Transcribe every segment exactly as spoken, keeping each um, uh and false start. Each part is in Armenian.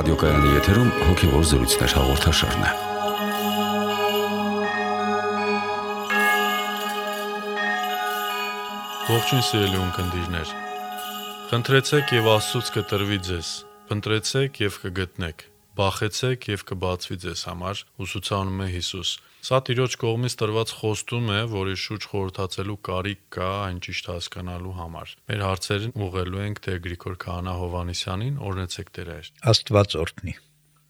Ռադիոկայանի եթերում հոգևոր զրույցներ հաղորդաշարն է։ Ողջույն սիրելի ունկնդիրներ։ Խնդրեցեք եւ Աստծուց կտրվի ձեզ, փնտրեցեք եւ կգտնեք, բախեցեք եւ կբացվի ձեզ համար, ուսուցանում է Հիսուս։ Սա Տիրոջ կողմից տրված խոստում է, որի շուրջ խորհրդացելու կարիք կա այն ճիշտ հասկանալու համար։ Մեր հարցերն ուղղելու ենք Տեր Գրիգոր Քահանա Հովհաննիսյանին, օրհնեցեք Տեր Հայր։ Աստված օրհնի։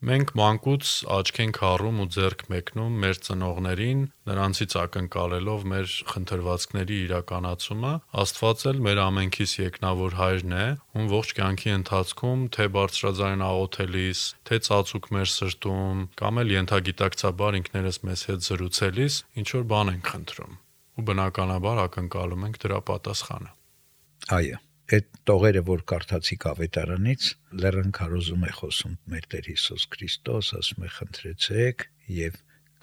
Մենք մանկուց աչք ենք հառում ու ձեռք մեկնում մեր ծնողներին, նրանցից ակնկալելով մեր խնդրվածքների իրականացումը, Աստված էլ մեր ամենքիս եկնավոր Հայրն է, ում ողջ կյանքի ընթացքում թե բարձրաձայն աղոթելիս, թե ծածուկ մեր սրտում, կամ էլ ենթագիտակցաբար ինքներս մեզ հետ զրուցելիս ինչ որ բան ենք խնդրում, ու բնականաբար ակնկալում ենք դրա պատասխանը։ Այո, այդ տողերը, որ կարդացիք ավետարանից, լեռան քարոզում է խոսում մեր Տեր Հիսուս Քրիստոս, ասում է խնդրեցեք եւ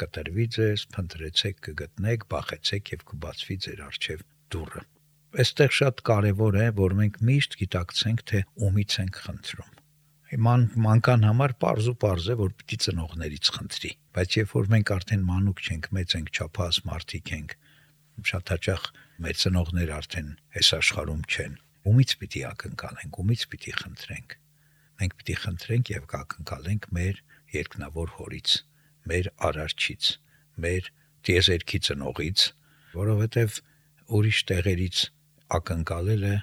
կտրվի ձեզ, փնտրեցեք կգտնեք, բախեցեք եւ կբացվի ձեր առջեւ դուռը։ Այստեղ շատ կարեւոր է, որ մենք միշտ գիտակցենք, թե ումից ենք խնդրում։ Ման մանկան համար պարզ ու պարզ է, որ պիտի ծնողներից խնդրի, բայց երբ որ մենք արդեն մանուկ չենք, մեծ ենք, չափահաս մարդիկ ենք, շատ հաճախ մեր ծնողները արդեն այս աշխարհում չեն, ումից պիտի ակնկալենք, ումից պիտի խնդրենք։ Մենք պիտի խնդրենք եւ կակնկալենք մեր երկնավոր Հորից, մեր Արարչից, մեր տիեզերքի ծնողից, որովհետեւ ուրիշ տեղերից ակնկալելը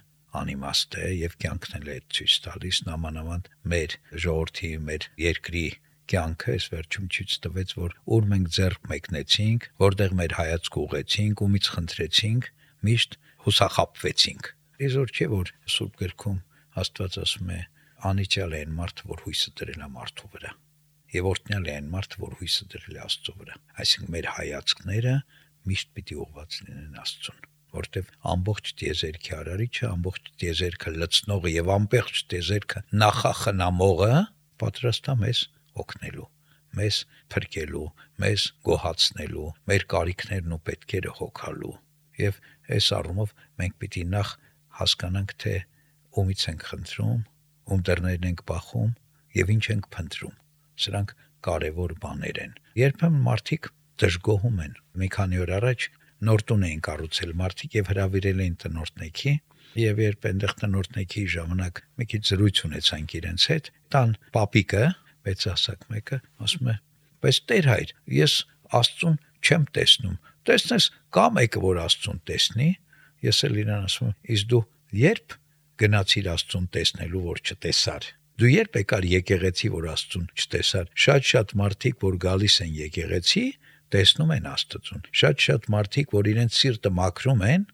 անիմաստ է եւ կյանքն է ցույց տալիս նամանավանդ մեր ժողովրդի, մեր երկրի կյանքը այս վերջում ցույց տվեց, որ ուր մենք ձեռք մեկնեցինք, որտեղ մեր հայացք ուղեցինք, ումից խնդրեցինք, միշտ հուսախաբվեցինք։ Այսօր չէ որ Սուրբ գրքում Աստված ասում է անիծյալ է այն մարդը, որ հույսը դրել է մարդու վրա, եւ օրհնյալ է այն մարդը, որ հույսը դրել է Աստծո վրա։ Այսինքն մեր հայացքները միշտ պիտի ուղղված լինեն Աստծուն, որտեվ ամբողջ տիեզերքի արարիչը, ամբողջ տիեզերքը լցնողը եւ ամբողջ տիեզերքը նախախնամողը պատրաստ է մեզ օգնելու, մեզ փրկելու, մեզ գոհացնելու, մեր կարիքներն ու պետքերը հոգալու։ Եվ այս առումով մենք պիտի նախ հասկանանք, թե ումից ենք խնդրում, ում դռներն ենք բախում եւ ինչ ենք փնտրում։ Սրանք կարեւոր բաներ են։ Երբեմն մարդիկ դժգոհում են։ Մի քանի օր առաջ նոր տուն էին կառուցել մարդիկ եւ հրավիրել էին տնօրտնեքի, եւ երբ այնտեղ տնօրտնեքի ժամանակ մի քիչ զրույց ունեցանք իրենց հետ, տան պապիկը, մեծահասակ մեկը, ասում է. «Բայց Տեր Հայր, ես Աստծուն չեմ տեսնում»։ Տեսնես, կա մեկը, որ Աստծուն տեսնի։ Ես էլ իրան ասում եմ. «Իսկ դու երբ գնացիր Աստծուն տեսնելու, որ չտեսար։ Դու երբ եկար եկեղեցի, որ Աստծուն չտեսար։ Շատ-շատ մարդիկ, որ գալիս են եկեղեցի, տեսնում են Աստծուն։ Շատ-շատ մարդիկ, որ իրենց սիրտը մաքրում են,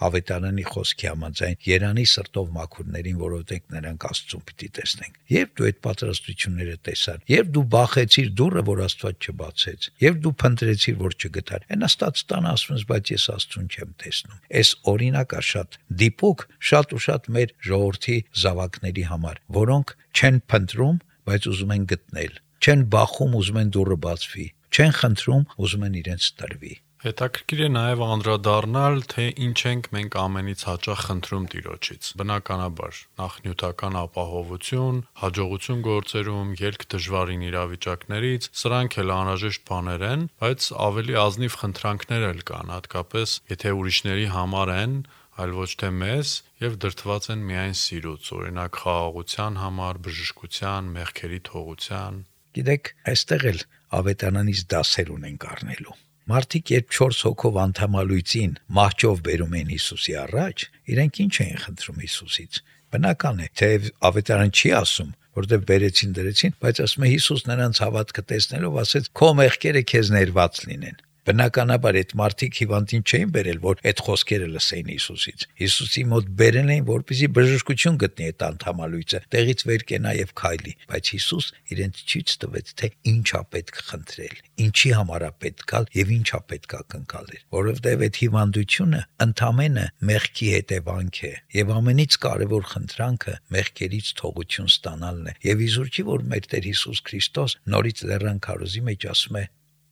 ավետարանի խոսքի համաձայն, երանի սրտով մաքուրներին, որովհետեւ նրանք Աստծուն պիտի տեսնեն։ Երբ դու այդ պատրաստությունները տեսար, երբ դու բախեցիր դուռը, որ Աստված չբացեց, երբ դու փնտրեցիր, որ չգտար, այնաստած տան ասում ես, բայց ես Աստծուն չեմ տեսնում։ Այս օրինակը շատ դիպուկ, շատ ու շատ մեր ժողովրդի զավակների համար, որոնք չեն փնտրում, բայց ուզում են գտնել, չեն բախում, ուզում են դուռը բացվի, չեն խնդրում, ուզում են իրենց տրվի։ Հետաքրքիր է նաև անդրադառնալ, թե ինչ ենք մենք ամենից հաճախ խնդրում Տիրոջից։ Բնականաբար, նախ նյութական ապահովություն, հաջողություն գործերում, ելք դժվարին իրավիճակներից, սրանք էլ անհրաժեշտ բաներ են, բայց ավելի ազնիվ խնդրանքներ էլ կան, հատկապես եթե ուրիշների համար են, այլ ոչ թե մեզ, եւ դրդված են միայն սիրուց, օրինակ խաղաղության համար, բժշկության, մեղքերի թողության։ Գիտեք, այստեղ էլ ավետարանից դասեր ունենք առնելու։ Մարդիկ երբ չորս հոգով անդամալույցին մահճով բերում են Հիսուսի առաջ, իրենք ինչ էին խնդրում Հիսուսից։ Բնական է, թե ավետարան չի ասում, որտեղ բերեցին դրեցին, բայց ասում է Հիսուս նրանց հավատքը տեսնելով ասեց. «Քո մեղքերը քեզ ներված լինեն»։ Բնականաբար այդ մարդիկ հիվանդին չէին բերել, որ այդ խոսքերը լսեին Հիսուսից։ Հիսուսի մոտ բերել էին, որպեսզի բժշկություն գտնի այդ անդամալույցը, տեղից վեր կենա եւ քայլի։ Բայց Հիսուս իրենց ցույց տվեց, թե ինչա պետք խնդրել, ինչի համար է պետք գալ եւ ինչա պետք ակնկալել, որովհետեւ այդ հիվանդությունը ընդամենը մեղքի հետևանք է եւ ամենից կարեւոր խնդրանքը մեղքերից թողություն ստանալն է։ Եվ իզուր չի, որ մեր Տեր Հիսուս Քրիստոս նորից լեռան քարոզի մեջ ասում է.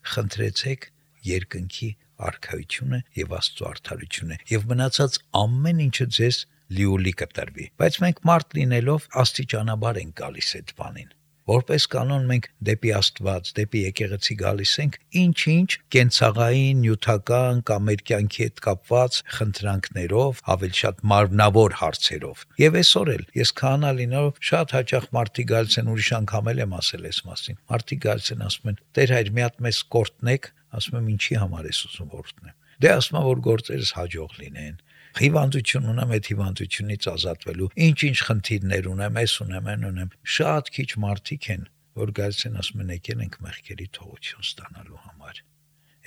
«Խնդրեցեք երկնքի արքայությունը եւ Աստծո արդարությունը եւ մնացած ամեն ինչը ձեզ լիոլի կտրվի»։ Բայց մենք մարդ լինելով աստիճանաբար ենք գալիս այդ բանին։ Որպես կանոն մենք դեպի Աստված, դեպի եկեղեցի գալիս ենք ինչ-ինչ կենցաղային, նյութական կամ մեր կյանքի հետ կապված խնդրանքներով, ավելի շատ մարմնավոր հարցերով։ Եվ այսօր էլ ես քահանա լինելով շատ հաճախ մարդիկ գալիս են, ուրիշ անգամ էլ եմ ասել այս մասին։ Մարդիկ գալիս են ասում են. «Տեր հայր, մի հատ մեզ կորտնեք», ասում եմ ինչի համար ես ուզում կորտնեմ։ Դե ասում եմ որ գործերս հաջող լինեն։ Հիվանդություն ունեմ, այդ հիվանդությունից ազատվելու, ինչ-ինչ խնդիրներ ունեմ, ես ունեմ, այն ունեմ։ Շատ քիչ մարդիկ են, որ գալիս են ասում են եկել ենք մեղքերի թողություն ստանալու համար։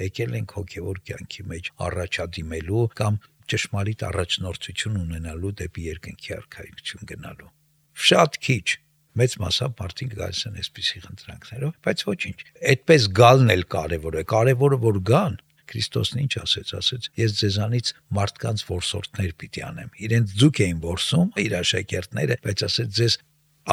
Եկել ենք հոգևոր կյանքի մեջ առաջադիմելու կամ ճշմարիտ առաջնորդություն ունենալու դեպի երկնքի արքայություն գնալու։ Շատ քիչ մեծ մասամբ մարդիկ գալիս են այսպիսի խնդրանքներով, բայց ոչինչ։ Այդպես գալն էլ կարևոր է, կարևորը որ գան։ Քրիստոսն ինչ ասեց, ասեց. «Ես ձեզանից մարդկանց որսորդներ պիտի անեմ»։ Իրենց ձուկ էին որսում իր աշակերտները, բայց ասեց ձեզ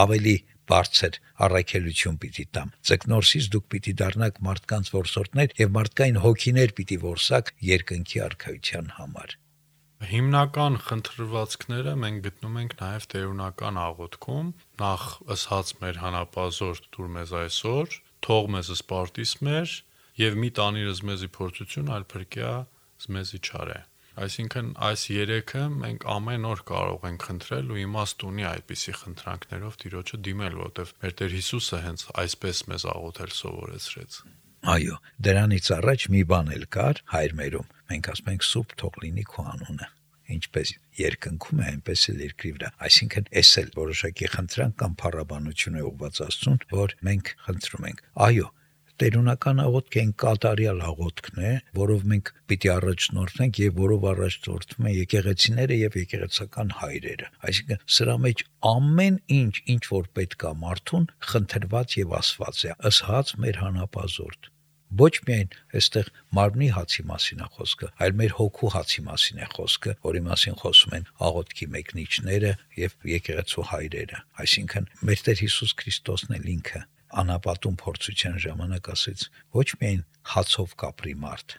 ավելի բարձր առաքելություն պիտի տամ։ Ձկնորսից դուք պիտի դառնաք մարդկանց որսորդներ եւ մարդկային հոգիներ պիտի որսաք երկնքի արքայության համար։ Հիմնական խնդրվածքները մենք գտնում ենք նաև տերունական աղոթքում, նախ ըսած մեր հանապազորդ դուր մեզ այսօր, թող մեզ սպարտիս մեր եւ մի տանիրս մեզի փորձություն, այլ փրկյա մեզի չարե։ Այսինքն այս երեքը մենք ամեն օր կարող ենք խնդրել ու իմաստ ունի այդպիսի խնդրանքներով Տիրոջը դիմել, որովհետեւ մեր Տեր Հիսուսը հենց այսպես մեզ աղոթել սովորեցրեց։ Այո, դրանից առաջ մի բան էլ կար հայր մերում։ Մենք ասում ենք սուրբ թող լինի քո անունը։ Ինչպես երկնքում է, այնպես էլ երկրի վրա։ Այսինքն, էս էլ որոշակի խնդրանք կամ փառաբանություն է ուղղված Աստծուն, որ մենք խնդրում ենք։ Այո, տերունական աղոթքը այն կատարյալ աղոթքն է, որով մենք պիտի առաջնորդվենք եւ որով առաջնորդվում են եկեղեցիները եւ եկեղեցական հայրերը։ Այսինքն, սրա մեջ ամեն ինչ, ինչ որ պետք է մարդուն, խնդրված եւ ասված է, ըստ մեր հանապազորդ։ Ոչ միայն այստեղ մարմնի հացի մասին է խոսքը, այլ մեր հոգու հացի մասին է խոսքը, որի մասին խոսում են աղոթքի մեկնիչները եւ եկեղեցու հայրերը։ Այսինքն, մեր Տեր Հիսուս Քրիստոսն է ինքը անապատում փորձության ժամանակ ասեց. ոչ միայն հացով կապրի մարդ,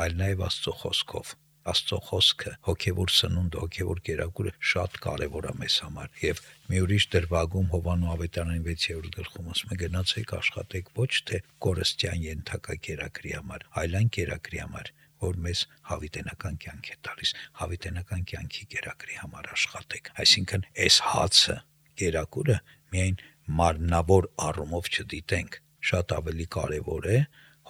այլ նաեւ Աստծո խոսքով։ Աստծո խոսքը, հոգևոր սնունդը, հոգևոր կերակուրը շատ կարևոր է մեզ համար։ Եվ մի ուրիշ դրվագում Հովանու ավետարանի վեցերորդ գլխում ասում է. գնացեք աշխատեք ոչ թե կորստյան ենթակա կերակրի համար, այլ այն կերակրի համար, որ մեզ հավիտենական կյանք է տալիս, հավիտենական կյանքի կերակրի համար աշխատեք։ Այսինքն, այս հացը, կերակուրը միայն մարմնավոր առումով չդիտենք, շատ ավելի կարևոր է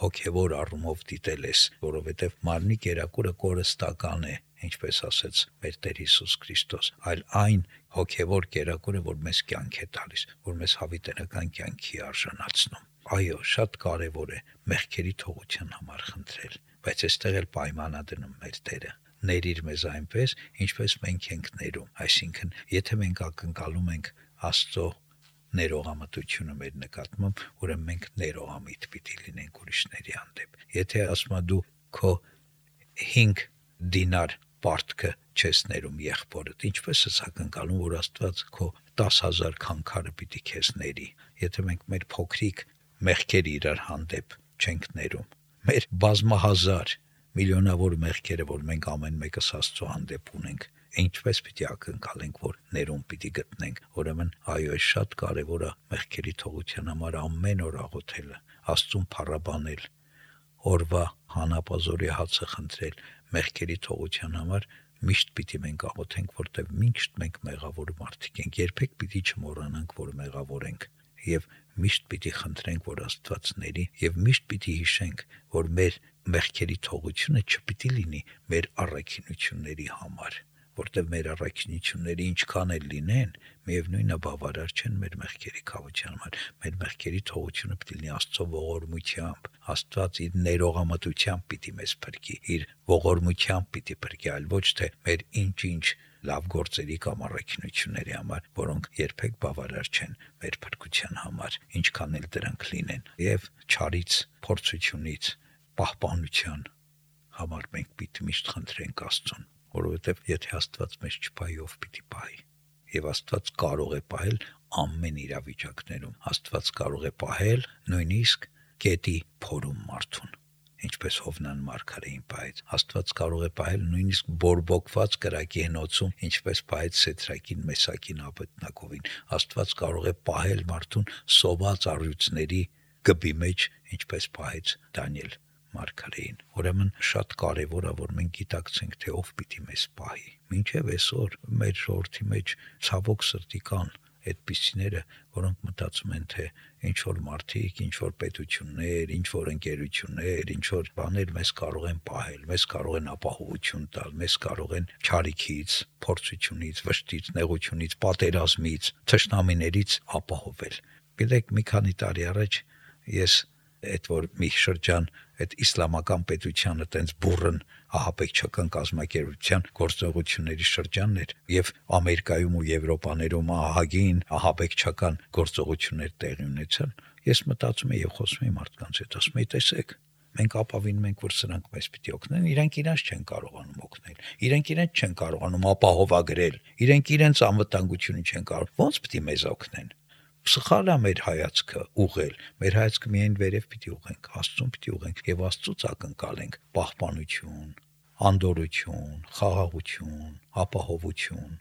հոգևոր առումով դիտել ես, որովհետև մարմնի կերակուրը կորստական է, ինչպես ասեց մեր Տեր Հիսուս Քրիստոս, այլ այն հոգևոր կերակուրը, որ մեզ կյանք է տալիս, որ մեզ հավիտենական կյանքի արժանացնում։ Այո, շատ կարևոր է մեղքերի թողության համար խնդրել, բայց այստեղ էլ պայման է դնում մեր Տերը։ Ներիր մեզ այնպես, ինչպես մենք ենք ներում։ Այսինքն, եթե մենք ակնկալում ենք Աստծո ներողամտությունը մեր նկատմամբ, ուրեմն մենք ներողամիտ պիտի լինենք ուրիշների հանդեպ։ Եթե ասում ես դու քո հինգ դինար պարտքը չես ներում եղբորդ, ինչպես ես ակնկալում, որ Աստված քո տասը հազար քանքարը պիտի քեզ ների։ Եթե մենք մեր փոքրիկ մեղքերը իրար հանդեպ չենք ներում, մեր բազմահազար միլիոնավոր մեղքերը, որ մենք ամեն մեկս Աստծո հանդեպ ունենք, ինչպես պիտի ակնկալենք, որ ներում պիտի գտնենք։ Ուրեմն, այո, շատ կարևոր է մեղքերի թողության համար ամեն օր աղոթելը, Աստծուն փառաբանել, օրվա հանապազորի հացը խնդրել, մեղքերի թողության համար միշտ պիտի մենք աղոթենք, որտեղ միշտ մենք մեղավոր մարդիկ ենք, երբեք պիտի չմոռանանք, որ մեղավոր ենք, եւ միշտ պիտի խնդրենք, որ Աստված ների, եւ միշտ պիտի հիշենք, որ մեր մեղքերի թողությունը չպիտի լինի մեր առաքինությունների համար, որտեղ մեր առաքինությունները ինչքան էլ լինեն, միևնույնն է բավարար չեն մեր մեղքերի քավության համար։ Մեր մեղքերի թողությունը պիտի լինի Աստծո ողորմությամբ, Աստված իր ներողամտությամբ պիտի մեզ փրկի, իր ողորմությամբ պիտի փրկի, այլ ոչ թե մեր ինչ-ինչ լավ գործերի կամ առաքինությունների համար, որոնք երբեք բավարար չեն մեր փրկության համար, ինչքան էլ դրանք լինեն։ Եվ չարից, փորձությունից, պահպանության համար մենք պիտի միշտ խնդրենք Աստծուն, որովհետև եթե Աստված մեզ չպահի, ով պիտի պահի։ Եվ Աստված կարող է պահել ամեն իրավիճակներում։ Աստված կարող է պահել նույնիսկ գետի փորում մարդուն։ ինչպես Հովնան մարգարեին պահեց։ Աստված կարող է պահել նույնիսկ բորբոքված կրակի հնոցում, ինչպես պահեց Սեդրակին, Մեսակին, Աբեդնագովին։ Աստված կարող է պահել մարդուն սոված առյուծների գբի մեջ, ինչպես պահեց Դանիել մարգարեին։ Ուրեմն շատ կարևոր է, որ մենք գիտակցենք, թե ով պիտի մեզ պահի։ Մինչև այսօր մեր ժողովրդի մեջ ցավոք սրտի կան այդպիսիները, որոնք մտածում են, թե ինչ որ մարդիկ, ինչ որ պետություններ, ինչ որ ընկերություններ, ինչ որ բաներ մեզ կարող են պահել, մեզ կարող են ապահովություն տալ, մեզ կարող են չարիքից, փորձությունից, վշտից, նեղությունից, պատերազմից, թշնամիներից ապահովել։ Գիտեք, մի քանի տարի առաջ ես այդ որ մի շրջան այդ իսլամական պետությանը տենց բուրըն ահաբեկչական կազմակերպության գործողությունների շրջանն էր եւ Ամերիկայում ու Եվրոպաներում ահագին ահաբեկչական գործողություններ տեղի ունեցան, ես մտածում եմ եւ խոսում եմ մարդկանց հետ, ասում եմ, տեսեք, մենք ապավինում ենք, որ սրանք մեզ պիտի օգնեն, իրանք իրանց չեն կարողանում օգնել, իրանք իրենց չեն կարողանում ապահովագրել, իրանք իրենց անվտանգությունը չեն կարող, ո՞նց պիտի մեզ օգնեն։ Սխալ է մեր հայացքը ուղղել, մեր հայացքը միայն վերև պիտի ուղենք, Աստծուն պիտի ուղենք եւ Աստծուց ակնկալենք պահպանություն, անդորություն, խաղաղություն, ապահովություն։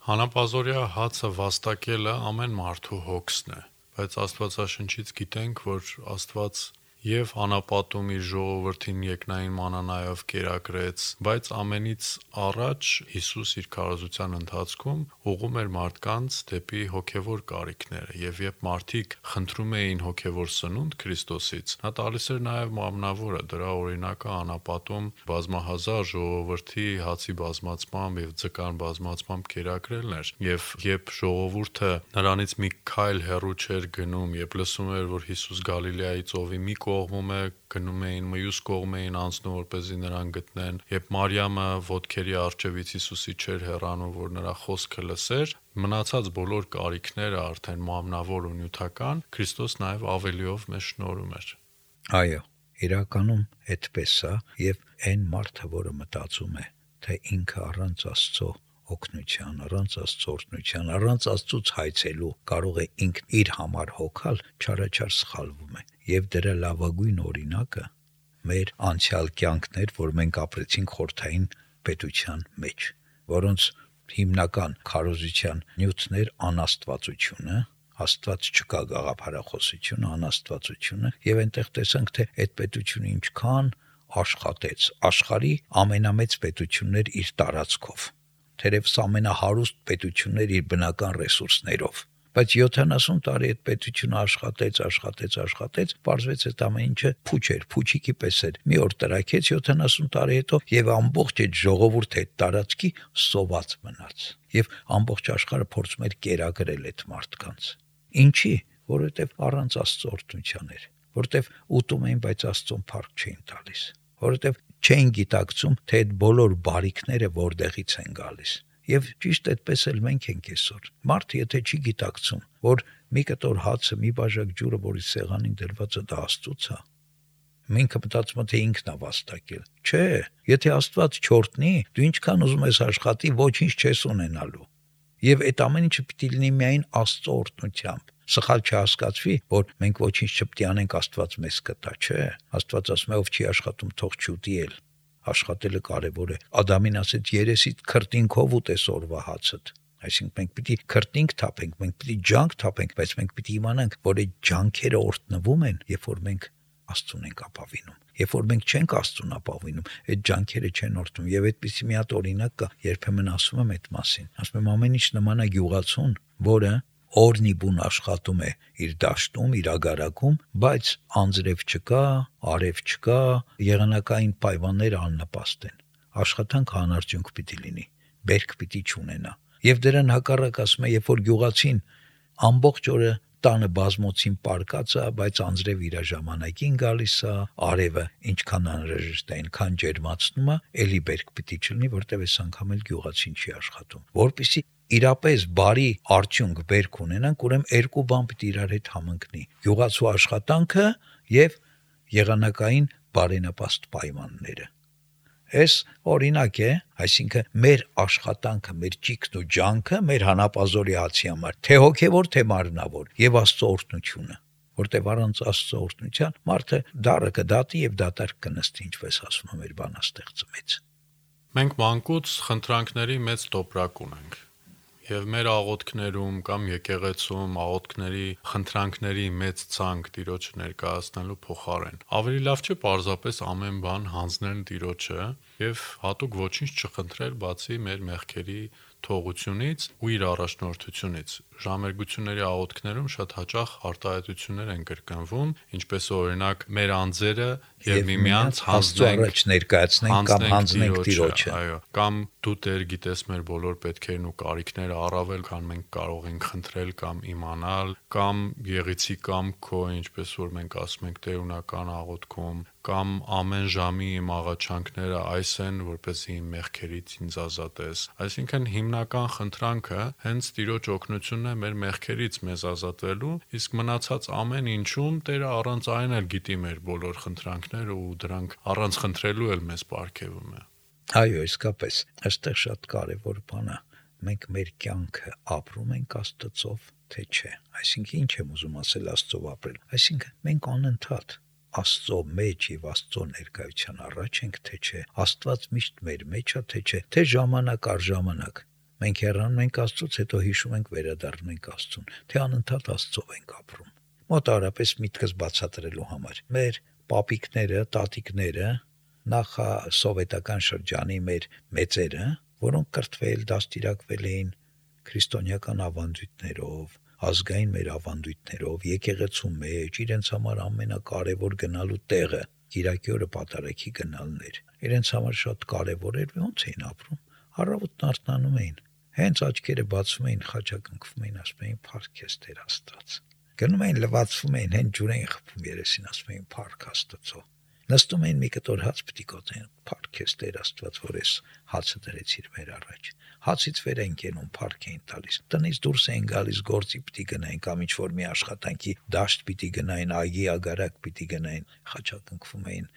Հանապազորյա հացը վաստակելը ամեն մարդու հոգսն է, բայց Աստվածաշնչից գիտենք, որ Աստված եւ անապատում իր ժողովրդին երկնային մանանայով կերակրեց, բայց ամենից առաջ Հիսուս իր քարոզության ընթացքում ուղղում էր մարդկանց դեպի հոգևոր կարիքները, եւ երբ մարդիկ խնդրում էին հոգևոր սնունդ Քրիստոսից, նա տալիս էր նաեւ մամնավորը, դրա օրինակը անապատում բազմահազար ժողովրդի հացի բազմացմամբ եւ ձկան բազմացմամբ կերակրելն էր, եւ երբ ժողովուրդը նրանից մի քայլ հեռու չէր գնում, երբ լսում էր, որ Հիսուս Գալիլեայի ծովի մի կողմում է, գնում էին, մյուս կողմ էին անցնում, որպեսզի նրան գտնեն, երբ Մարիամը ոտքերի առջևից Հիսուսի չէր հեռանում, որ նրա խոսքը լսեր, մնացած բոլոր կարիքները արդեն մամնավոր ու նյութական, Քրիստոս նաև ավելիով մեզ շնորհում էր։ Այո, իրականում այդպես է, եւ այն մարդը, որը մտածում է, թե ինքը առանց Աստծո օգնության, առանց Աստծո օրհնության, առանց Աստծուց հայցելու կարող է ինքն իր համար հոգալ, չարաչար սխալվում է։ Եվ դրա լավագույն օրինակը մեր անցյալ կյանքներ, որ մենք ապրեցինք խորթային պետության մեջ, որոնց հիմնական քարոզության նյութներ անաստվածությունը, Աստված չկա գաղափարախոսությունը, անաստվածությունը, եւ այնտեղ տեսանք, թե այդ պետությունը ինչքան աշխատեց, աշխարհի ամենամեծ պետություններ իր տարածքով, թերևս ամենահարուստ պետություններ իր բնական ռեսուրսներով, բայց յոթանասուն տարի այդ պետությունը աշխատեց, աշխատեց, աշխատեց, պարզվեց այդ ամեն ինչը փուչ էր, փուչիկի պես էր, մի օր տրաքեց յոթանասուն տարի հետո եւ ամբողջ այդ ժողովուրդը այդ տարածքի սոված մնաց, եւ ամբողջ աշխարհը փորձում էր կերակրել այդ մարդկանց։ Ինչի՞, որովհետեւ առանց Աստծո օրհնության էր, որովհետեւ ուտում էին, բայց Աստծուն փառք չէին տալիս, որովհետեւ չէին գիտակցում, թե այդ բոլոր բարիքները որտեղից են գալիս։ Եվ ճիշտ այդպես էլ մենք ենք այսօր։ Մարդը եթե չի գիտակցում, որ մի կտոր հացը, մի բաժակ ջուրը, որի սեղանին դրվածը դա Աստծուց է, ինքը մտածում է, թե ինքն է վաստակել։ Չէ, եթե Աստված չօրհնի, դու ինչքան ուզում ես աշխատի, ոչինչ չես ունենալու։ Եվ այդ ամեն ինչը պիտի լինի միայն Աստծո օրհնությամբ։ Սխալ չհասկացվի, որ մենք ոչինչ չպետք է անենք, Աստված մեզ կտա, չէ։ Աստված ասում է, ով չի աշխատում, թող չուտի էլ։ Աշխատելը կարևոր է։ Ադամին ասեց, երեսիդ քրտինքով ուտես օրվա հացդ։ Այսինքն մենք պիտի քրտինք թափենք, մենք պիտի ջանք թափենք, բայց մենք պիտի իմանանք, որ այդ ջանքերը օրհնվում են, երբ որ մենք Աստծուն ենք ապավինում։ Երբ որ մենք չենք Աստծուն ապավինում, այդ ջանքերը չեն օրհնում։ Եվ այդպիսի մի հատ օրինակ կա, երբեմն ասում եմ այդ մասին։ Ասում եմ, ամեն ինչ նման է գյուղացուն, որը օրնի բուն աշխատում է իր դաշտում, իր ագարակում, բայց անձրև չկա, արև չկա, եղանակային պայմանները աննպաստ են։ Աշխատանքը անարդյունք պիտի լինի, բերք պիտի չունենա։ Եվ դրան հակառակ ասում է, երբ որ գյուղացին ամբողջ օրը տանը բազմոցին պարկած է, բայց անձրև իր ժամանակին գալիս է, արևը ինչքան անհրաժեշտ է, այնքան ջերմացնում է, էլի բերք պիտի չլինի, որտեղ այս անգամ էլ գյուղացին չի աշխատում։ Որպեսզի իրապես բարի արդյունք բերք ունենանք, ուրեմն երկու բան պիտի իրար հետ համընկնի՝ գյուղացու աշխատանքը եւ եղանակային բարենպաստ պայմանները։ Այս օրինակ է, այսինքն մեր աշխատանքը, մեր ճիգն ու ջանքը մեր հանապազորի հացի համար, թե հոգևոր, թե մարմնավոր, եւ Աստծո օրհնությունը, որտեղ առանց Աստծո օրհնության մարդը դառը կդատի եւ դատարկ կնստի, ինչպես ասում է մեր բանաստեղծը մեծ։ Մենք մանկուց խնդրանքների մեծ տոպրակ ունենք։ Եվ մեր աղոթքներում կամ եկեղեցում աղոթքների խնդրանքների մեծ ցանկ Տիրոջը ներկայացնելու փոխարեն ավելի լավ չէ պարզապես ամեն բան հանձնել Տիրոջը եւ հատուկ ոչինչ չխնդրել բացի մեր մեղքերի թողությունից ու իր առաջնորդությունից։ Ժամերգությունների աղոթքներում շատ հաճախ արտահայտություններ են կրկնվում, ինչպես օրինակ մեր անձերը եւ միմյանց հանձնենք ներկայացնենք կամ հանձնենք Տիրոջը, այո, կամ դու Տեր գիտես մեր բոլոր պետքերն ու կարիքները առավել, քան մենք կարող ենք խնդրել կամ իմանալ, կամ եղիցի կամ քո, ինչպես որ մենք ասում ենք տերունական աղոթքում, կամ ամեն ժամի իմ աղաչանքները այս են, որպեսզի իմ մեղքերից ինձ ազատես։ Այսինքն հիմնական խնդրանքը հենց Տիրոջ օգնությունն է մեր մեղքերից մեզ ազատվելու, իսկ մնացած ամեն ինչում Տերը առանց այն էլ գիտի մեր բոլոր խնդրանքները ու դրանք առանց խնդրելու էլ մեզ պարգևում է։ Այո, իսկապես, այստեղ շատ կարևոր բան է։ Մենք մեր կյանքը ապրում ենք Աստծով, թե չէ։ Այսինքն ինչ եմ ուզում ասել Աստծով ապրել։ Այսինքն մենք անընդհատ Աստծո մեջ եւ Աստծո ներկայության առաջ ենք, թե չէ։ Աստված միշտ մեր մեջ է, թե չէ։ Թե ժամանակ առ ժամանակ մենք հեռանում ենք Աստծուց, հետո հիշում ենք վերադառնում ենք Աստծուն, թե անընդհատ Աստծով ենք ապրում։ Մոտավորապես միտքս բացատրելու համար։ Մեր պապիկները, տատիկները, նախ սովետական շրջանի մեր մեծերը, որոնք կրթվել, դաստիարակվել էին քրիստոնեական ավանդույթներով, ազգային մեր ավանդույթներով, եկեղեցու մեջ, իրենց համար ամենակարևոր գնալու տեղը Կիրակի օրը պատարագի գնալն էր։ Իրենց համար շատ կարևոր էր, ոնց էին ապրում։ Առավոտն արթնանում էին, հենց աչքերը բացում էին, խաչակնքվում էին, ասում էին «Փառք ես Տեր Աստված»։ Գնում էին, լվացվում էին, հենց ջուր էին խփում երեսին, ասում էին «Փառք Աստծո»։ Նստում էին մի կտոր հաց պիտի կոծեն, «Փառք ես Տեր Աստված, որ ես հացը դրեցիր մեր առաջ»։ Հացից վեր են կենում, փառք էին տալիս։ Տնից դուրս էին գալիս, գործի պիտի գնային կամ ինչ որ մի աշխատանքի դաշտ պիտի գնային, այգի ագարակ պիտի գնային, խաչակնքվում էին,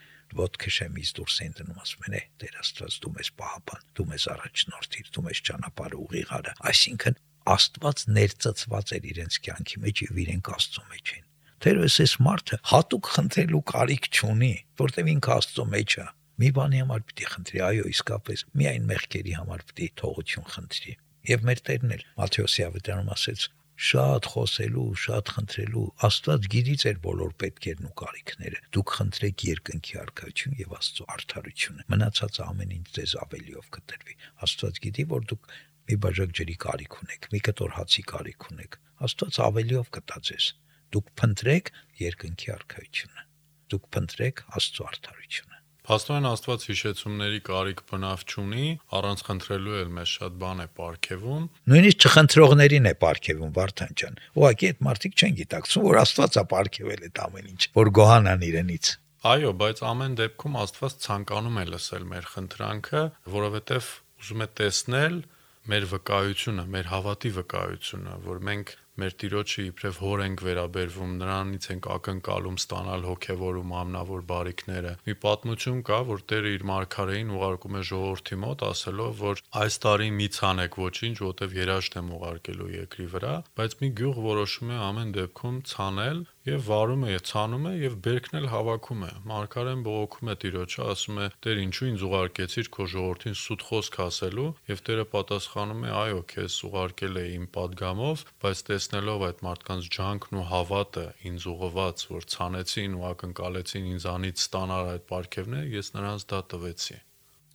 ոտքը շեմից դուրս էին դնում, ասում են «Տեր Աստված, դու մեզ պահապան, դու մեզ առաջնորդիր, դու մեզ ճանապարհը ուղիղարա»։ Այսինքն Աստված ներծծված էր իրենց կյանքի մեջ եւ իրենք Աստծո մեջ էին։ Թերևս այս մարդը հատուկ խնդրելու կարիք չունի, որտեւ ինքը Աստծո մեջ է։ Մի բանի համար պիտի խնդրի, այո, իսկապես, միայն մեղքերի համար պիտի թողություն խնդրի։ Եվ մեր Տերն էլ Մատթեոսի ավետարանում ասեց. շատ խոսելու, շատ խնդրելու, Աստված գիտի ձեր բոլոր պետքերն ու կարիքները։ Դուք խնդրեք երկնքի արքայություն եւ Աստծո արդարությունը։ Մնացած ամեն ինչ ձեզ ավելիով կտրվի։ Աստված գիտի, որ դուք մի բաժակ ջրի կարիք ունեք, մի կտոր հացի կարիք ունեք։ Աստված ավելիով կտա ձեզ։ Դուք փնտրեք երկնքի արքայությունը։ Դուք փնտրեք Աստծո արդարությունը։ Փաստորեն Աստված հիշեցումների կարիք բնավ չունի, առանց խնդրելու էլ մեզ շատ բան է պարգևում։ Նույնիսկ չխնդրողներին է պարգևում, Վարդան ջան։ Ուղղակի այդ մարդիկ չեն գիտակցում, որ Աստված է պարգևել այդ ամեն ինչ, որ գոհանան իրենից։ Այո, բայց ամեն դեպքում Աստված ցանկանում է լսել մեր խնդրանքը, որովհետև ուզում է տեսնել մեր վկայությունը, մեր հավատի վկայությունը, որ մենք մեր Տիրոջը իբրև հոր ենք վերաբերվում, նրանից ենք ակնկալում ստանալ հոգևոր ու մամնավոր բարիքները։ Մի պատմություն կա, որ Տերը իր մարգարեին ուղարկում է ժողովրդի մոտ, ասելով, որ այս տարի մի ցանեք ոչինչ, որտեվ երաշտ եմ ուղարկելու երկրի վրա, բայց մի գյուղ որոշում է ամեն դեպքում ցանել եւ վարում է, ցանում է եւ բերքն էլ հավաքում է։ Մարգարեն բողոքում է Տիրոջը, ասում է. «Տեր, ինչու ինձ ուղարկեցիր քո ժողովրդին սուտ խոսք ասելու»։ Եվ Տերը պատասխանում է. «Այո, քեզ ուղարկել է իմ պատգամով, բայց տեսնելով այդ մարդկանց ջանքն ու հավատը ինձ ուղղված, որ ցանեցին ու ակնկալեցին ինձանից ստանալ այդ պարգևները, ես նրանց դա տվեցի»։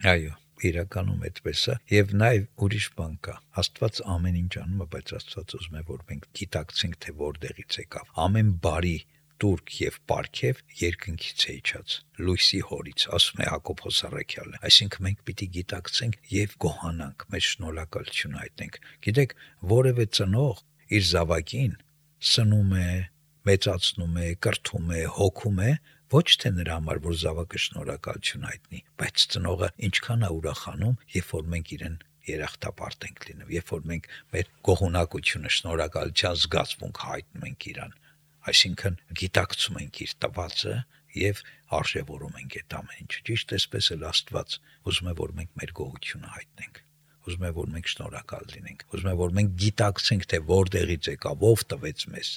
Այո, իրականում այդպես է, եւ նաեւ ուրիշ բան կա։ Աստված ամեն ինչ անում է, բայց Աստված ուզում է, որ մենք գիտակցենք, թե որտեղից եկավ։ Ամեն բարի տուրք եւ պարգև երկնքից է իջած, լույսի հորից, ասում է Հակոբոս առաքյալը։ Այսինքն մենք պիտի գիտակցենք եւ գոհանանք, մեր շնորհակալությունը հայտնենք։ Գիտեք, որևէ ծնող իր զավակին սնում է, մեծացնում է, կրթում է, հոգում է, ոչ թե նրա համար, որ զավակը շնորհակալություն հայտնի, բայց ծնողը ինչքան է ուրախանում, երբ որ մենք իրեն երախտապարտ ենք լինում, երբ որ մենք մեր գոհունակությունը, շնորհակալության զգացմունք հայտնում ենք իրան, այսինքն գիտակցում ենք իր տվածը եւ արժեվորում ենք այդ ամեն ինչը։ Ճիշտ էսպես էլ Աստված ուզում է, որ մենք մեր գոհությունը հայտնենք, ուզում է, որ մենք շնորհակալ լինենք, ուզում է, որ մենք գիտակցենք, թե որտեղից եկավ, ով տվեց մեզ,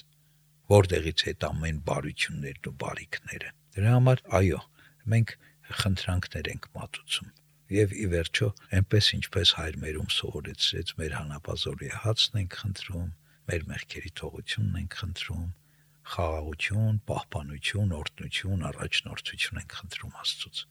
որտեղից այդ ամեն բարություններն ու բարիքները։ Դրա համար այո, մենք խնդրանքներ ենք մատուցում։ Եվ ի վերջո, այնպես ինչպես Հայր մերում սովորեցրեց, մեր հանապազորի հացն ենք խնդրում, մեր մեղքերի թողությունն ենք խնդրում, խաղաղություն, պահպանություն, օրհնություն, առաջնորդություն ենք խնդրում Աստծուց։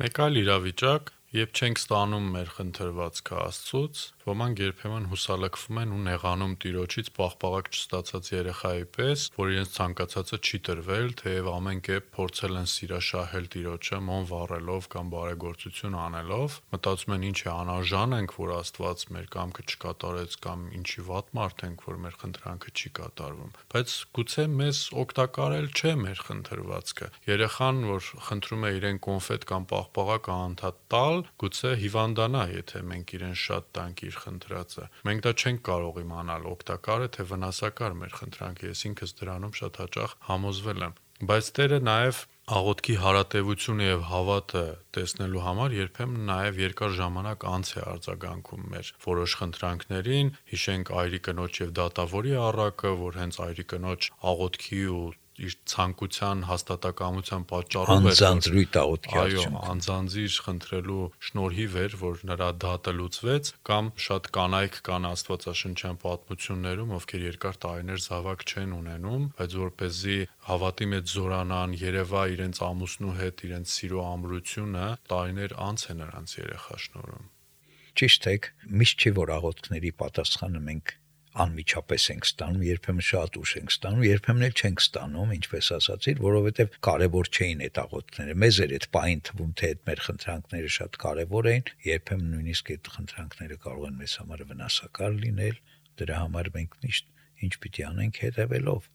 Մեկ այլ իրավիճակ, երբ չենք ստանում մեր խնդրվածքը Աստծուց, ոմանք երբեմն հուսալքվում են ու նեղանում Տիրոջից պաղպաղակ չստացած երեխայի պես, որ իրենց ցանկացածը չի տրվել, թեև ամեն կերպ փորձել են սիրաշահել Տիրոջը, մոմ վառելով կամ բարեգործություն անելով, մտածում են ինչ է անարժան ենք, որ Աստված մեր կամքը չկատարեց կամ ինչի վատ մարդ ենք, որ մեր խնդրանքը չի կատարվում, բայց գուցե մեզ օգտակար էլ չէ մեր խնդրվածքը։ Երեխան, որ խնդրում է իրեն կոնֆետ կամ պաղպաղակ անընդհատ տալ, գուցե հիվանդանա, եթե մենք իրեն շատ տանք իր խնդրածը։ Մենք դա չենք կարող իմանալ օգտակար է թե վնասակար մեր խնդրանքը, ես ինքս դրանում շատ հաճախ համոզվել եմ։ Բայց Տերը նաև աղոթքի հարատևությունը եւ հավատը տեսնելու համար երբեմն նաև երկար ժամանակ անց է արձագանքում մեր որոշ խնդրանքներին, հիշենք Այրի կնոջ եւ դատավորի առակը, որ հենց Այրի կնոջ աղոթքի ու իր ցանկության հաստատակամության պատճառով էր անձանձրույթ աղոթքի այո, անձանձիր խնդրելու շնորհիվ էր, որ նրա դատը լուծվեց, կամ շատ կանայք կան աստվածաշնչյան պատմություններում, ովքեր երկար տարիներ զավակ չեն ունենում, բայց որպեսզի հավատի մեջ զորանան, երևա իրենց ամուսնու հետ իրենց սիրո ամրությունը, տարիներ անց է նրանց երեխա շնորհում։ Ճիշտ է, միշտ չի որ աղոթքների պատասխանը մենք անմիջապես ենք ստանում, երբեմն շատ ուշ ենք ստանում, երբեմն էլ չենք ստանում, ինչպես ասացիր, որովհետև կարևոր չէին այդ աղոթքները։ Մեզ էր այդ պահին թվում, թե այդ մեր խնդրանքները շատ կարևոր էին, երբեմն նույնիսկ այդ խնդրանքները կարող են մեզ համար վնասակար լինել, դրա համար մենք միշտ ինչ պիտի անենք հետևելով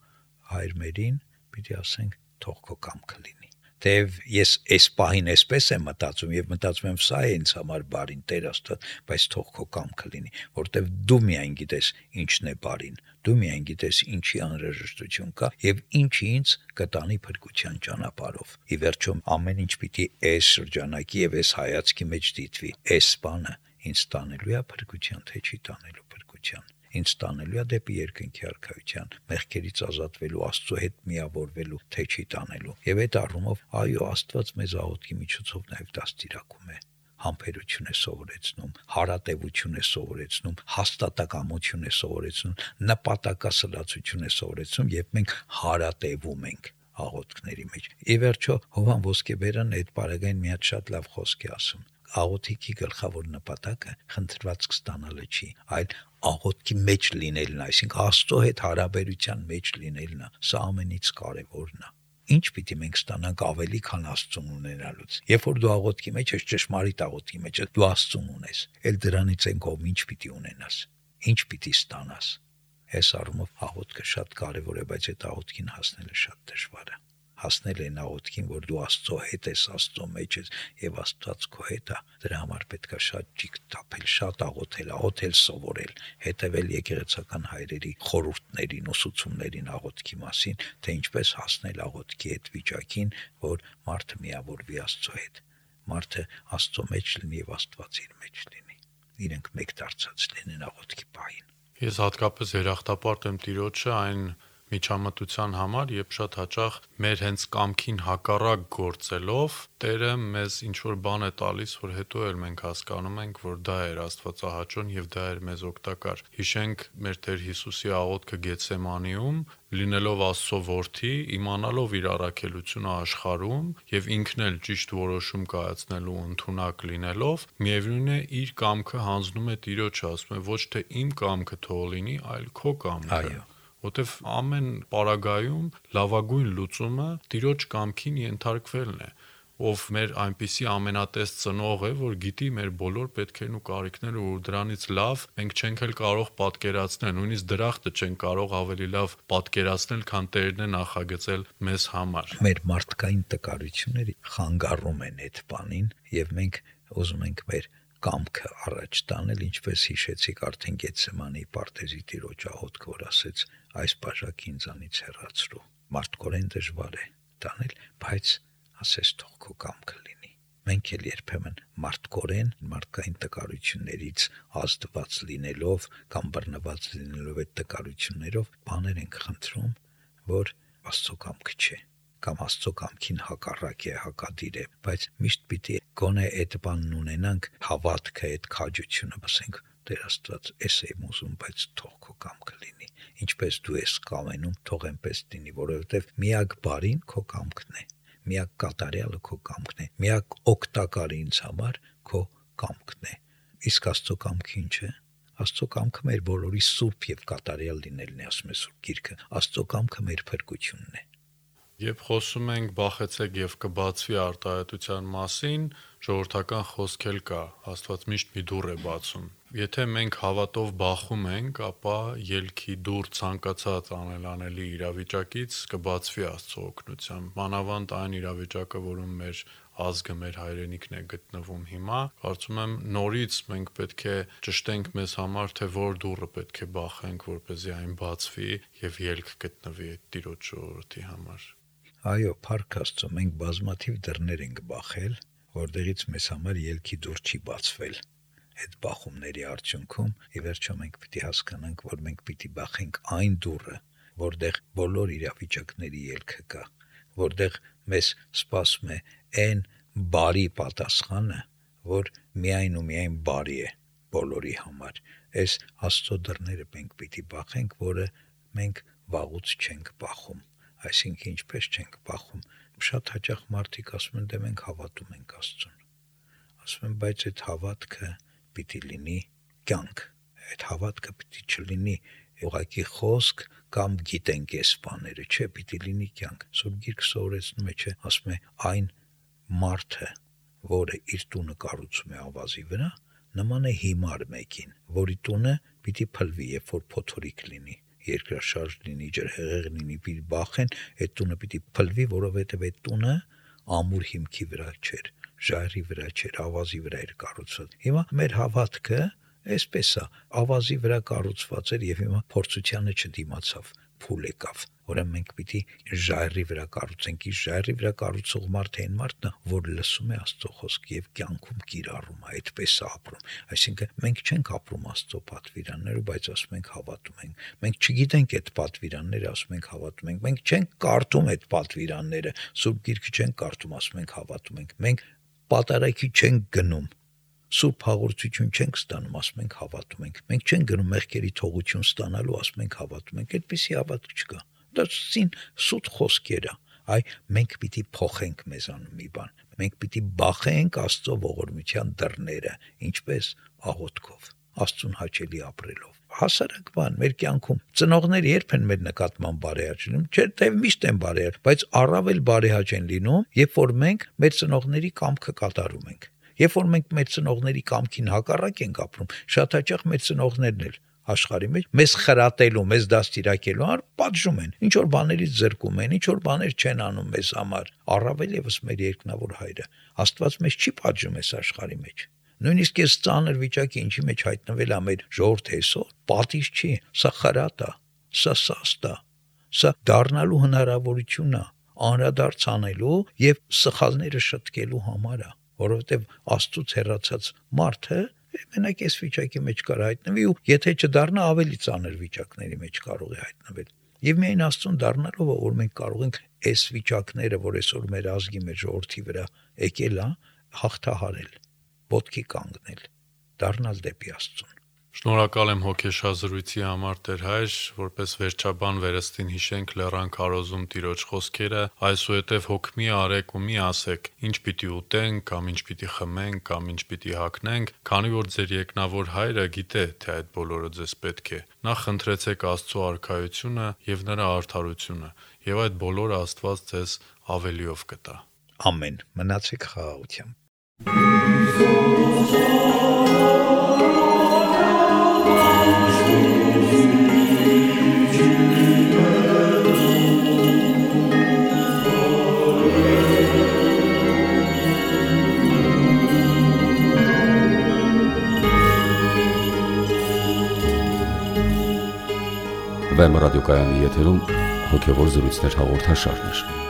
Հայր մերին, պիտի ասենք թող քո կամքը լինի։ Թեև ես այս պահին այսպես եմ մտածում եւ մտածում եմ սա է ինձ համար բարին, Տեր Աստված, բայց թող քո կամքը լինի, որտեվ դու միայն գիտես ինչն է բարին, դու միայն գիտես ինչի անհրաժեշտություն կա եւ ինչի ինձ կտանի փրկության ճանապարհով։ Ի վերջո ամեն ինչ պիտի այս շրջանակի եւ այս հայացքի մեջ դիտվի։ Այս բանը ինձ տանելու է փրկության, թե չի տանելու փրկության։ Ինձ տանելու է դեպի երկնքի արքայության, մեղքերից ազատվելու, Աստծո հետ միավորվելու, թե չի տանելու։ Եվ այդ առումով, այո, Աստված մեզ աղոթքի միջոցով նաև դաստիարակում է, համբերություն է սովորեցնում, հարատևություն է սովորեցնում, հաստատակամություն է սովորեցնում, նպատակասլացություն է սովորեցնում, եւ մենք հարատևում ենք աղոթքների մեջ։ Ի վերջո, Հովհան Ոսկեբերն այդ բaragային մի հատ շատ լավ խոսք է ասում։ Աղոթքի գլխավոր նպատակը խնդրվածք ստանալը չի, այլ աղոթքի մեջ լինելն, այսինքն Աստծո հետ հարաբերության մեջ լինելն է, սա ամենից կարևորն է։ Ինչ պիտի մենք ստանանք ավելի, քան Աստծուն ունենալուց։ Երբ որ դու աղոթքի մեջ ես, ճշմարիտ աղոթքի մեջ ես, դու Աստծուն ունես, էլ դրանից են կողմ ինչ պիտի ունենաս, ինչ պիտի ստանաս։ Այս առումով աղոթքը շատ կարևոր է, բայց այդ աղոթքին հասնելը շատ դժվար է։ Հասնել են աղոթքին, որ դու Աստծո հետ ես, Աստծո մեջ ես եւ Աստված քո հետ է, դրա համար պետք է շատ ճիգ տապել, շատ աղոթել, աղոթել սովորել, հետեւել եկեղեցական հայրերի խորհուրդներին, ուսուցումներին աղոթքի մասին, թե ինչպես հասնել աղոթքի այդ վիճակին, որ մարդը միավորվի Աստծո հետ, մարդը Աստծո մեջ լինի եւ Աստված իր մեջ լինի, իրենք մեկ դարձած լինեն աղոթքի պահին։ Ես հատկապես երախտապարտ եմ Տիրոջը այն միջամտության համար, երբ շատ հաճախ մեր հենց կամքին հակառակ գործելով Տերը մեզ ինչ որ բան է տալիս, որ հետո էլ մենք հասկանում ենք, որ դա էր Աստվածահաճոն եւ դա էր մեզ օգտակար։ Հիշենք մեր Տեր Հիսուսի աղոթքը Գեթսեմանիում, լինելով Աստծո որդի, իմանալով իր առաքելությունը աշխարհում եւ ինքն էլ ճիշտ որոշում կայացնելու ընդունակ լինելով, միևնույն է իր կամքը հանձնում է Տիրոջը, ասում է ոչ թե իմ կամքը թող լինի, այլ քո կամքը։ Այո։ Որտեվ ամեն պարագայում լավագույն լուծումը Տիրոջ կամքին ենթարկվելն է, ով մեր այնպիսի ամենատես ծնող է, որ գիտի մեր բոլոր պետքերն ու կարիքները, ու դրանից լավ մենք չենք էլ կարող պատկերացնել, նույնիսկ դրախտը չենք կարող ավելի լավ պատկերացնել, քան Տերն է նախագծել մեզ համար։ Մեր մարդկային տկարությունները խանգարում են այդ բանին, եւ մենք ուզում ենք մեր կամքը առաջ տանել, ինչպես հիշեցիք արդեն Գեթսեմանի պարտեզի Տիրոջ աղոթքը, որ ասեց այս բաժակը ինձանից հեռացրու։ Մարդկորեն դժվար է տանել, բայց ասես թող քո կամքը լինի։ Մենք էլ երբեմն մարդկորեն, մարդկային տկարություններից ազդված լինելով կամ բռնված լինելով այդ տկարություններով բաներ ենք խնդրում, որ Աստծո կամքը չէ, կամ Աստծո կամքին հակառակ է, հակադիր է, բայց միշտ պիտի գոնե այդ բանն ունենանք, հավատքը, այդ քաջությունը, ասենք Տեր Աստված, էս եմ ուզում, բայց թող քո կամքը լինի, ինչպես դու ես կամենում, թող այնպես լինի, որովհետև միակ բարին քո կամքն է, միակ կատարյալը քո կամքն է, միակ օգտակարը ինձ համար քո կամքն է։ Իսկ Աստծո կամքը ինչ է։ Աստծո կամքը մեր բոլորի սուրբ եւ կատարյալ լինելն է, ասում է Սուրբ Գիրքը։ Աստծո կամքը մեր փրկությունն է։ Երբ խոսում ենք բախեցեք եւ կբացվի արտահայտության մասին, ժողովրդական խոսք էլ կա, Աստված միշտ մի դուռ է բացում։ Եթե մենք հավատով բախում ենք, ապա ելքի դուռ ցանկացած անելանելի իրավիճակից կբացվի Աստծո օգնությամբ։ Մանավանդ այն իրավիճակը, որում մեր ազգը, մեր հայրենիքն է գտնվում հիմա, կարծում եմ նորից մենք պետք է ճշտենք մեզ համար, թե որ դուռը պետք է բախենք, որպեսզի այն բացվի եւ ելք գտնվի այդ Տիրոջ ժողովրդի համար։ Այո, փառք Աստծո, մենք բազմաթիվ դռներ ենք բախել, որտեղից մեզ համար ելքի դուռ չի բացվել։ Այդ բախումների արդյունքում ի վերջո մենք պիտի հասկանանք, որ մենք պիտի բախենք այն դուռը, որտեղ բոլոր իրավիճակների ելքը կա, որտեղ մեզ սպասում է այն բարի պատասխանը, որ միայն ու միայն բարի է բոլորի համար։ Այս Աստծո դռները մենք պիտի բախենք, որը մենք վաղուց չենք բախում։ Այսինքն ինչպես չենք բախում։ Շատ հաճախ մարդիկ ասում են, դե մենք հավատում ենք Աստծուն։ Ասում են, բայց այդ հավատքը պիտի լինի կյանք։ Այդ հավատքը պիտի չլինի ուղղակի խոսք կամ գիտենք այս բաները, չէ, պիտի լինի կյանք։ Սուրբ Գիրքը սովորեցնում է, չէ, ասում է այն մարդը, որը իր տունը կառուցում է ավազի վրա, նման է հիմար մեկին, որի տունը պիտի փլվի, երբ որ փոթորիկ լինի, երկրաշարժ լինի, ջրհեղեղ լինի, պիտի բախեն, այդ տունը պիտի փլվի, որովհետև այդ տունը ամուր հիմքի վրա չէր, ժայռի վրա չէր, ավազի վրա էր կառուցված։ Հիմա մեր հավատքը այսպես է, ավազի վրա կառուցված էր եւ հիմա փորձությանը չդիմացավ, փուլ եկավ։ Ուրեմն մենք պիտի ժայռի վրա կառուցենք, իսկ ժայռի վրա կառուցող մարդը այն մարդն է, որ լսում է Աստծո խոսքը եւ կյանքում կիրառում է, այդպես է ապրում։ Այսինքն մենք չենք ապրում Աստծո պատվիրաններով, բայց ասում ենք հավատում ենք։ Մենք չգիտենք այդ պատվիրանները, ասում ենք հավատում ենք։ Մենք չենք կարդում այդ պատվիրանները, Սուրբ Գիրքը չենք կարդում, ասում ենք հավատում ենք։ Մենք պատարագի չենք գնում, Սուրբ հաղորդություն չենք ստանում, ասում ենք հավատում ենք։ Մենք չենք գնում մեղքերի թողություն ստանալու, ասում ենք հավատում ենք։ Այդպիսի հավատք չկա։ Դա սին սուտ խոսքեր է։ Այ մենք պիտի փոխենք մեզանում մի բան։ Մենք պիտի բախենք Աստծո ողորմության դռները, ինչպես աղոթքով, Աստծուն հաճելի ապրելով։ Հասարակ բան մեր կյանքում ծնողները երբ են մեր նկատմամբ բարեհաճ լինում, չէ՞ թե միշտ են բարեհաճ, բայց առավել բարեհաճ են լինում, երբ որ մենք մեր ծնողների կամքը կատարում ենք։ Երբ որ մենք մեր ծնողների կամքին հակառակ ենք ապրում, շատ հաճախ մեր ծնողներն էլ աշխարհի մեջ մեզ խրատելու, մեզ դաստիարակելու համար պատժում են, ինչ որ բաներից զրկում են, ինչ որ բաներ չեն անում մեզ համար։ Առավել եւս մեր երկնավոր հայրը, Աստված մեզ չի պատժում այս աշխարհի մեջ։ Նույնիսկ այս ծանր վիճակի ինչի մեջ հայտնվել է մեր ժողովուրդը այսօր, պատիժ չի, սա խրատ է, սա սաստ է, սա դառնալու հնարավորություն է, անդրադարձ անելու եւ սխալները շտկելու համար է, որովհետեւ Աստծուց հեռացած մարդը մենակ այս վիճակի մեջ կարող հայտնվի ու եթե չդառնա ավելի ծանր վիճակների մեջ կարող է հայտնվել։ Եվ միայն Աստծուն դառնալով որ մենք կարող ենք այս վիճակները, որ այսօր մեր ազգի, մեր ժողովրդի վրա եկել է, հաղթահարել, ոտքի կանգնել, դառնալ դեպի Աստծուն։ Շնորհակալ եմ հոգեշազրույցի համար Տեր հայր, որպես վերջաբան վերստին հիշենք Լեռան քարոզում Տիրոջ խոսքերը, այսուհետև հոգ մի արեք ու մի ասեք, ինչ պիտի ուտենք, կամ ինչ պիտի խմենք, կամ ինչ պիտի հագնենք, քանի որ ձեր երկնավոր հայրը գիտե, թե այդ բոլորը ձեզ պետք է։ Նախ խնդրեցեք Աստծո արքայությունը եւ նրա արդարությունը, եւ այդ բոլորը Աստված ձեզ ավելիով կտա։ Ամեն։ Մնացեք խաղաղությամբ։ Վեմ ռադիոկայանի եթերում հոգևոր զրույցներ հաղորդաշարներ։